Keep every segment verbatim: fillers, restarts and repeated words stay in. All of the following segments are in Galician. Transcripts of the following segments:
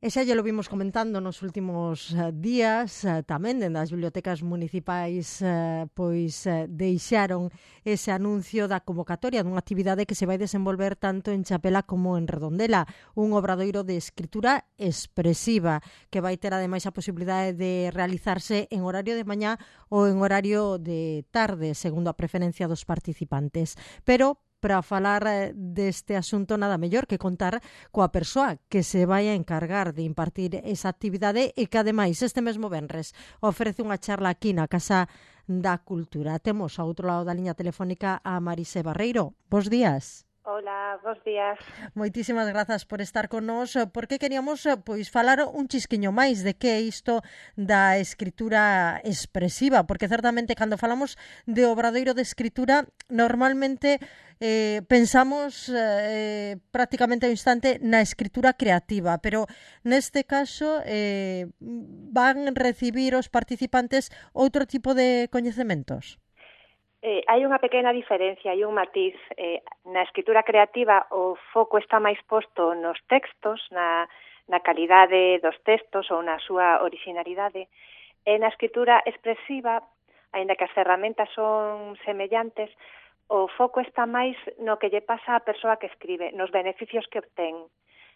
E xa lle lo vimos comentando nos últimos eh, días, eh, tamén dende as bibliotecas municipais eh, pois eh, deixaron ese anuncio da convocatoria dunha actividade que se vai desenvolver tanto en Chapela como en Redondela, un obradoiro de escritura expresiva que vai ter ademais a posibilidade de realizarse en horario de mañá ou en horario de tarde, segundo a preferencia dos participantes. Pero para falar eh, deste asunto nada mellor que contar coa persoa que se vai a encargar de impartir esa actividade e que ademais este mesmo venres ofrece unha charla aquí na Casa da Cultura. Temos ao outro lado da liña telefónica a Marise Barreiro. Bos días. Hola, bos días. Moitísimas grazas por estar con nós, porque queríamos pois falar un chisquiño máis de que é isto da escritura expresiva, porque certamente cando falamos de obradoiro de escritura, normalmente eh, pensamos eh, prácticamente ao instante na escritura creativa, pero neste caso eh, van recibir os participantes outro tipo de coñecementos. Eh, hai unha pequena diferencia, hai un matiz. Eh, na escritura creativa o foco está máis posto nos textos, na, na calidade dos textos ou na súa originalidade. E na escritura expresiva, aínda que as ferramentas son semellantes, o foco está máis no que lle pasa á persoa que escribe, nos beneficios que obtén.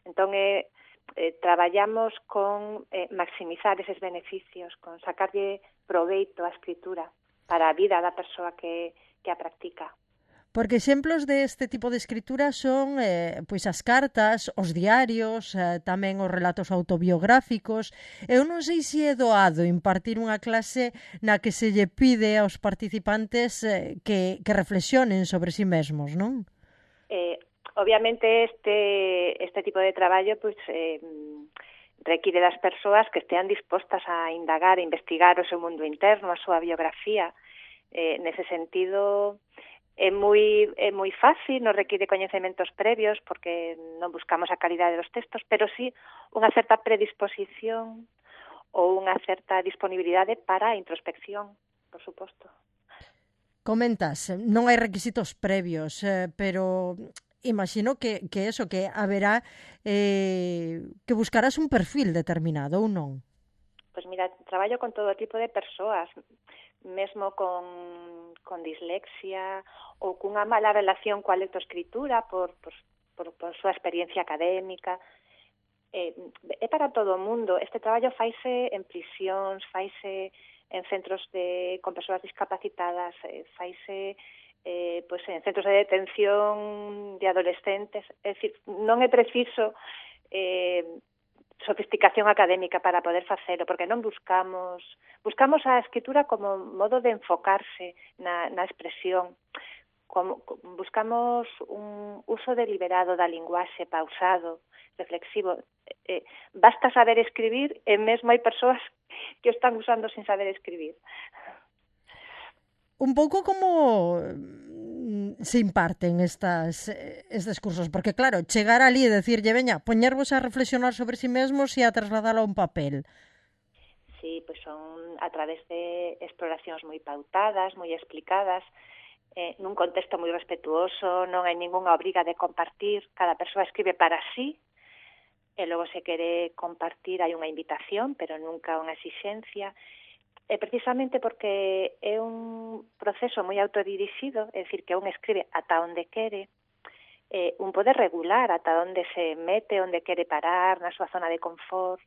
Entón, eh, eh, traballamos con eh, maximizar eses beneficios, con sacarlle proveito á escritura para a vida da persoa que, que a practica. Porque exemplos deste tipo de escritura son eh, pois as cartas, os diarios, eh, tamén os relatos autobiográficos. Eu non sei se é doado impartir unha clase na que se lle pide aos participantes eh, que, que reflexionen sobre si mesmos, non? Eh, obviamente este, este tipo de traballo pois, eh, require das persoas que estean dispostas a indagar, a investigar o seu mundo interno, a súa biografía. Eh, nese sentido, é moi, é moi fácil, non require coñecementos previos, porque non buscamos a calidade dos textos, pero sí unha certa predisposición ou unha certa disponibilidade para a introspección, por suposto. Comentas, non hai requisitos previos, eh, pero imagino que, que eso, que haberá eh, que buscarás un perfil determinado ou non? Pois mira, traballo con todo tipo de persoas, mesmo con, con dislexia ou cunha mala relación coa lectoescritura por, por, por, por súa experiencia académica. Eh, é para todo o mundo. Este traballo faise en prisións, faise en centros de, con persoas discapacitadas, eh, faise eh, pues en centros de detención de adolescentes. É dicir, non é preciso eh, sofisticación académica para poder facelo, porque non buscamos buscamos a escritura como modo de enfocarse na, na expresión, como, buscamos un uso deliberado da linguaxe, pausado, reflexivo. Eh, basta saber escribir e mesmo hai persoas que o están usando sin saber escribir. Un pouco como se imparten estas, estes cursos, porque claro, chegar ali e decirlle, veña, poñervos a reflexionar sobre si mesmos e a trasladalo a un papel. Sí, pois son a través de exploracións moi pautadas, moi explicadas, eh, nun contexto moi respetuoso, non hai ningunha obriga de compartir, cada persoa escribe para sí, e logo se quere compartir hai unha invitación, pero nunca unha exixencia. É precisamente porque é un proceso moi autodirixido, é dicir, que un escribe ata onde quere, eh, un pode regular ata onde se mete, onde quere parar, na súa zona de confort.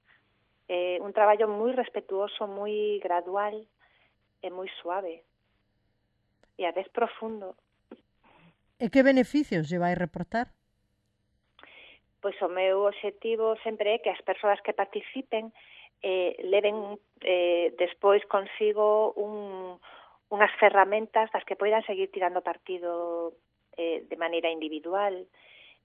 É un traballo moi respetuoso, moi gradual e moi suave. E a vez profundo. E que beneficios lle vai reportar? Pois o meu obxectivo sempre é que as persoas que participen eh, leven eh, despois consigo un, unhas ferramentas das que poidan seguir tirando partido eh, de maneira individual.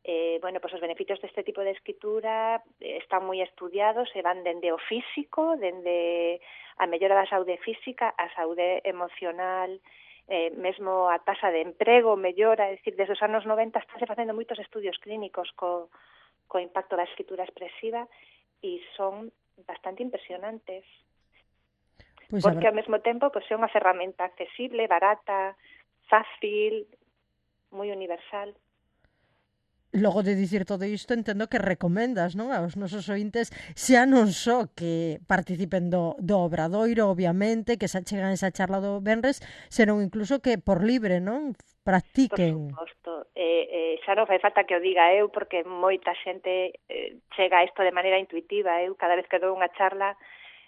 Eh, bueno, pois os beneficios deste tipo de escritura eh, están moi estudiados e van dende o físico, dende a mellora da saúde física, a saúde emocional, eh, mesmo a taxa de emprego mellora, é dicir, desde os anos noventa estánse facendo moitos estudios clínicos co, co impacto da escritura expresiva e son bastante impresionantes. Pues porque ao mesmo tempo pues, é unha ferramenta accesible, barata, fácil, moi universal. logo de dicir todo isto, entendo que recomendas, non, aos nosos ointes xa non só que participen do, do obradoiro, obviamente, que xa chegan esa charla do venres, senón incluso que por libre, non, practiquen. Por suposto, eh, eh, xa non fai falta que o diga eu, porque moita xente eh, chega a isto de maneira intuitiva. Eu cada vez que dou unha charla,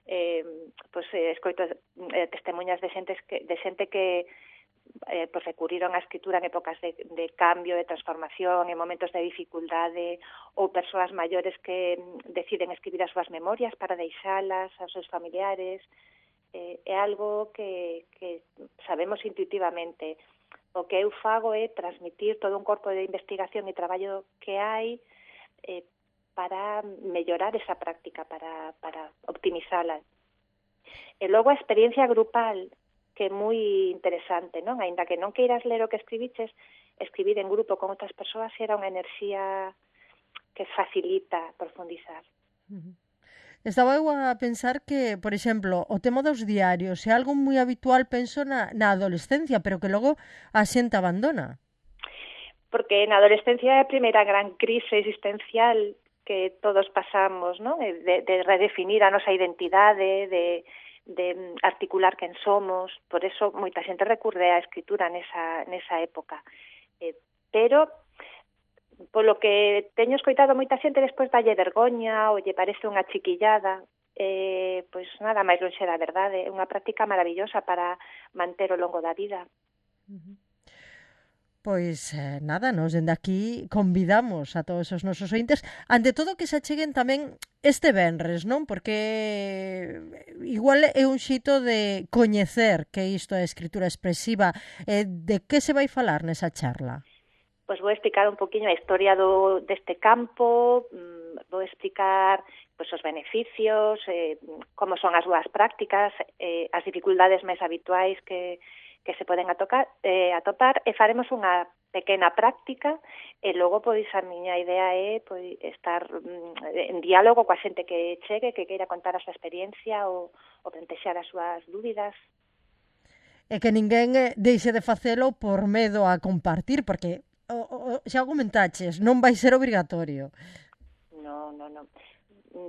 eh, pois, eh, escoito eh, testemunhas de xente que, de xente que eh, pues recurriron á escritura en épocas de, de cambio, de transformación, en momentos de dificultade, ou persoas maiores que deciden escribir as súas memorias para deixalas aos seus familiares. Eh, é algo que, que sabemos intuitivamente. O que eu fago é transmitir todo un corpo de investigación e traballo que hai eh, para mellorar esa práctica, para, para optimizala. E logo a experiencia grupal, que é moi interesante, non? Aínda que non queiras ler o que escribiches, escribir en grupo con outras persoas era unha enerxía que facilita profundizar. Uh-huh. Estaba eu a pensar que, por exemplo, o tema dos diarios é algo moi habitual, penso, na, na adolescencia, pero que logo a xente abandona. Porque na adolescencia é a primeira gran crise existencial que todos pasamos, non? De, de redefinir a nosa identidade, de de articular quen somos, por eso moita xente recurre á escritura nesa, nesa época. Eh, pero, polo que teño escoitado moita xente, despois dalle vergoña ou lle parece unha chiquillada, eh, pois nada máis lonxe da verdade, é unha práctica maravillosa para manter ao longo da vida. Uh-huh. Pois eh, nada, nos dende aquí convidamos a todos os nosos ointes, ante todo que se acheguen tamén este venres, non? Porque igual é un xito de coñecer que isto é escritura expresiva. Eh, de que se vai falar nesa charla? Pois vou explicar un poquinho a historia do, deste campo, mmm, vou explicar pois, os beneficios, eh, como son as súas prácticas, eh, as dificultades máis habituais que que se poden atocar, eh, atopar, e faremos unha pequena práctica, e logo, pois, a miña idea é pois, estar mm, en diálogo coa xente que chegue, que queira contar a súa experiencia ou, ou plantexar as súas dúbidas. E que ninguén deixe de facelo por medo a compartir, porque o, o, xa o comentaches, non vai ser obrigatorio. Non, non, non.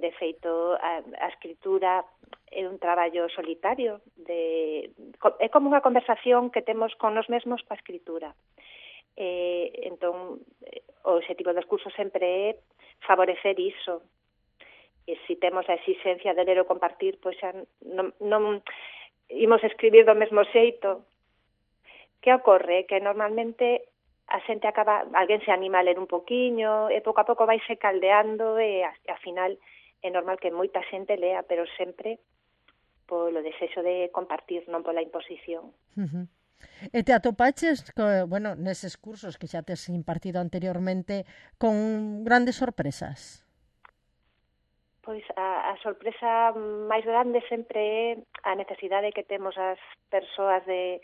De feito, a, a escritura é un traballo solitario, de, é como unha conversación que temos con nos mesmos coa escritura. Eh, entón, o objetivo dos cursos sempre é favorecer iso. E se temos a exigencia de ler ou compartir, pois xa non, non imos escribir do mesmo xeito. Que ocorre? Que normalmente a xente acaba, alguén se anima a ler un poquiño, e pouco a pouco vaise caldeando, e ao final é normal que moita xente lea, pero sempre polo desexo de compartir, non pola imposición. Uh-huh. E te atopaches, bueno, neses cursos que xa tes impartido anteriormente, con grandes sorpresas? Pois a, a sorpresa máis grande sempre é a necesidade que temos as persoas de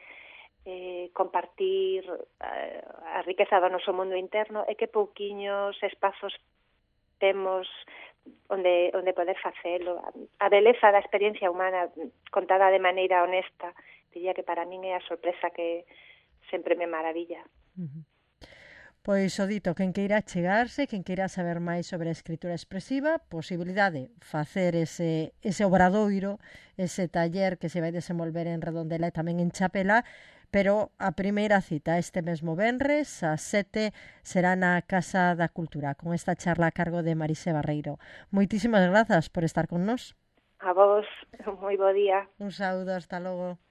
eh, compartir a, a riqueza do noso mundo interno, e que pouquiños espazos temos onde onde poder facelo. A beleza da experiencia humana contada de maneira honesta, diría que para min é a sorpresa que sempre me maravilla. Uh-huh. Pois o dito, quen queira chegarse, quen queira saber máis sobre a escritura expresiva, posibilidade facer ese, ese obradoiro, ese taller que se vai desenvolver en Redondela e tamén en Chapela, pero a primeira cita este mesmo venres, ás sete, será na Casa da Cultura, con esta charla a cargo de Marise Barreiro. Moitísimas grazas por estar con nós. A vos, moi bo día. Un saúdo, hasta logo.